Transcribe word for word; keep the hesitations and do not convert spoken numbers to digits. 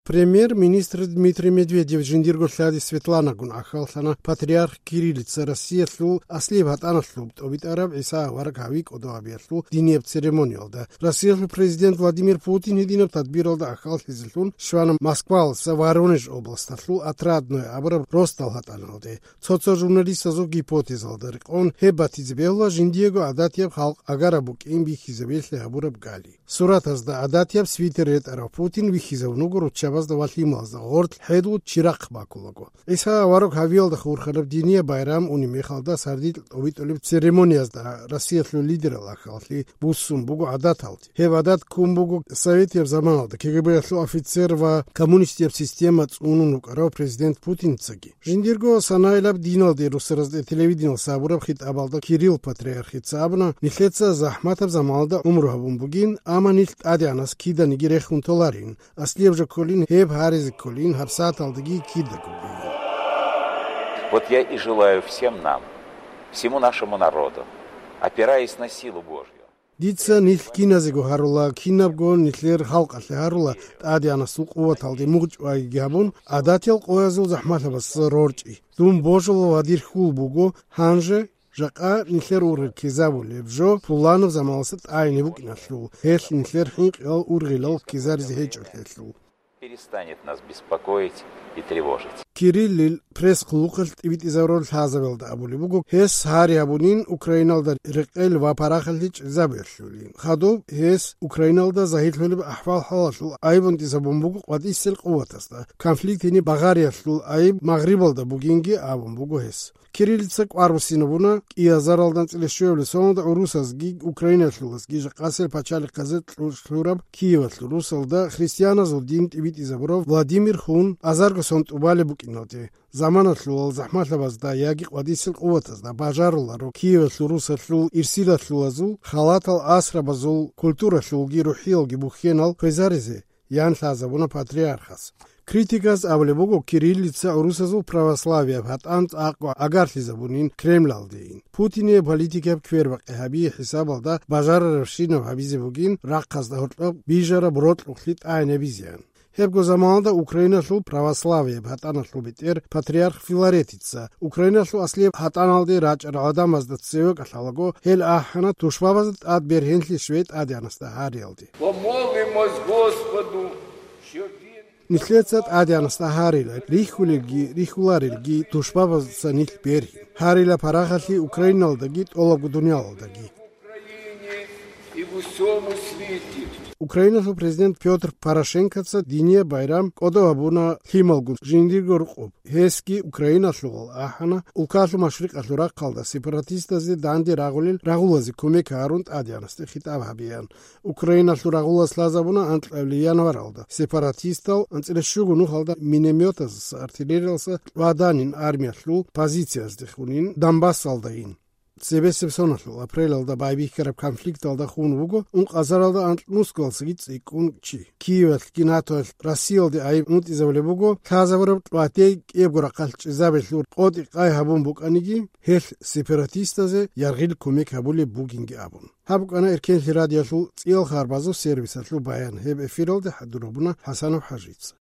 Премьер-министр Дмитрий Медведев жиндирго лъади Светланагун ахьаллъана патриарх Кириллица Россиялъул аслияб гьатӀаналъуб тӀобитӀараб ГӀиса авараг гьави кӀодовабиялъул динияб церемониялда. Россиялъул президент Владимир Путин гьединаб тадбиралда ахьаллъизелъун щвана Москваласа Воронеж областалъул Отрадное абураб росдал гьатӀаналде. Цо-цо журналистазул гипотезалда рекъон гьеб батизе бегьула жиндиего гӀадатияб халкъ агараб букӀин бихьизабиялъе гьабураб гали. Суратазда гӀадатияб свитер ретӀарав Путин вихьизабун вуго руччабазда ва лъималазда гъорлъ хӀедул чирахъ бакулаго. ГӀиса авараг гьавиялда хурхараб динияб байрам унеб мехалда сардилъ тӀобитӀулеб церемониязда Россиялъул лидерал ахьаллъи буссун буго гӀадаталде. Гьеб гӀадат ккун буго советияб заманалда КГБ-ялъул офицер ва коммунистияб система цӀунун вукӀарав президент Путинцаги. Жиндирго санайилаб диналде русаразде телевидениялъ гьабураб хитӀабалда Кирилл патриархица абуна, нилъеца захӀматаб заманалда гӀумру гьабун бугин, амма нилъ ТӀадегӀанас киданиги рехун толарин, аслияб жо кколин, гьеб гьаризе кколин, гьабсагӀаталдаги кидаго бугин. Вот я и желаю всем нам, всему нашему народу, опираясь на силу Божью, Дица нилъ киназего гьарула, кинабго нилъер халкъалъе гьарула, ТӀадегӀанасул къуваталде мугъчӀвайги гьабун, гӀадатиял къоязул захӀмалъабазда рорчӀи. Дун божула ва дир хьул буго, гьанже, жакъа нилъер ургъел ккезабулеб жо пуланаб заманалъа тӀагӀине букӀиналъул, гьелъ нилъер хӀинкъиялъул ургъел ккезаризе гьечӀолъиялъул. Перестанет нас беспокоить и тревожить. Кириллил пресс-хъулухъалъ тӀибитӀизабураб лъазабиялда абулеб буго, гьес гьари гьабунин Украиналда рекъел ва парахалъи чӀезабиялъулин. Хадуб гьес Украиналда загьирлъулеб ахӀвал-хӀалалъул айиб унтӀизабун буго къватӀисел къуватазда, конфликт гьениб багъариялъул айиб Магърибалда бугинги абун буго гьес. Кириллица кӀвар буссинабуна кӀиазаралда анцӀила щуабилеб соналда гӀурусазги украиналъулазги жакъасел пачалихъазе кьурхьураб Киевалъул русалда христианазул дин тӀибитӀизабурав Владимир Хун азарго сон тӀубалеб букӀиналде, заманалъулал захӀмалъабазда яги къватӀисел къуватазда бажаруларо Киевалъул русалъул ирсилалъулазул халатал асрабазул культуралъулги рухӀиялги бухьенал кквезаризе, ян лъазабуна патриархас. Критиказ абулеб буго, Кириллица гӀурусазул православияб гьатӀан цӀакъго агарлъизабунин Кремлалдейин. Путинияб политикаяб квербакъи гьабие хӀисабалда бажарарабщинаб гьабизе бугин рахъазда гьоркьоб бижараб рокьукълъи тӀагӀинабизеян. Гьебго заманалда Украиналъул православияб гьатӀаналъул бетӀер патриарх Филаретица Украиналъул аслияб гьатӀаналде рачӀарал гӀадамазда цеве кӀалъалаго, гьел ахӀана тушбабазда тӀад бергьенлъи щвей ТӀадегӀанасда гьариялде. Помолимось Господу, щоб він Нилъеца ТӀадегӀанасда гьарила, рихьулелги рихьуларелги тушбабазда нилъ бергьин. Гьарила парахалъи Украиналдаги тӀолабго дуниялалдаги. Україні і в усьому світі. Украиналъул президент Пётр Порошенкоца динияб байрам кӀодо гьабуна лъималгун жиндирго рукъуб. Гьесги Украиналъулал ахӀана, улкалъул машрикъалъул рахъалда сепаратистазе данде рагъулел рагъулазе кумек гьарун ТӀадегӀанасде хитӀаб гьабеян. Украиналъул рагъулас лъазабуна анкьабилеб январалда сепаратистал анцӀила щуго нухалда минометазаса, артиллериялдаса кьваданин армиялъул позициязде хунин Донбассалдайин. Цебесеб соналъул апрелалда байбихьараб конфликталда хун вуго ункъазаралда анкь Москвалдасаги цӀикӀкӀун чи. Киевалъги НАТОялъ Россиялде айиб унтӀизабулеб буго, лъазабураб кьватей кӀиябго рахъалъ чӀезабелъул къотӀи-къай гьабун букӀаниги, гьелъ сепаратистазе яргъил кумек гьабулеб бугинги абун. Гьаб букӀана Эркенлъи радиоялъул цӀиял харбазул сервисалъул баян, гьеб эфиралде хӀадур гьабуна ХӀасанов ХӀажица.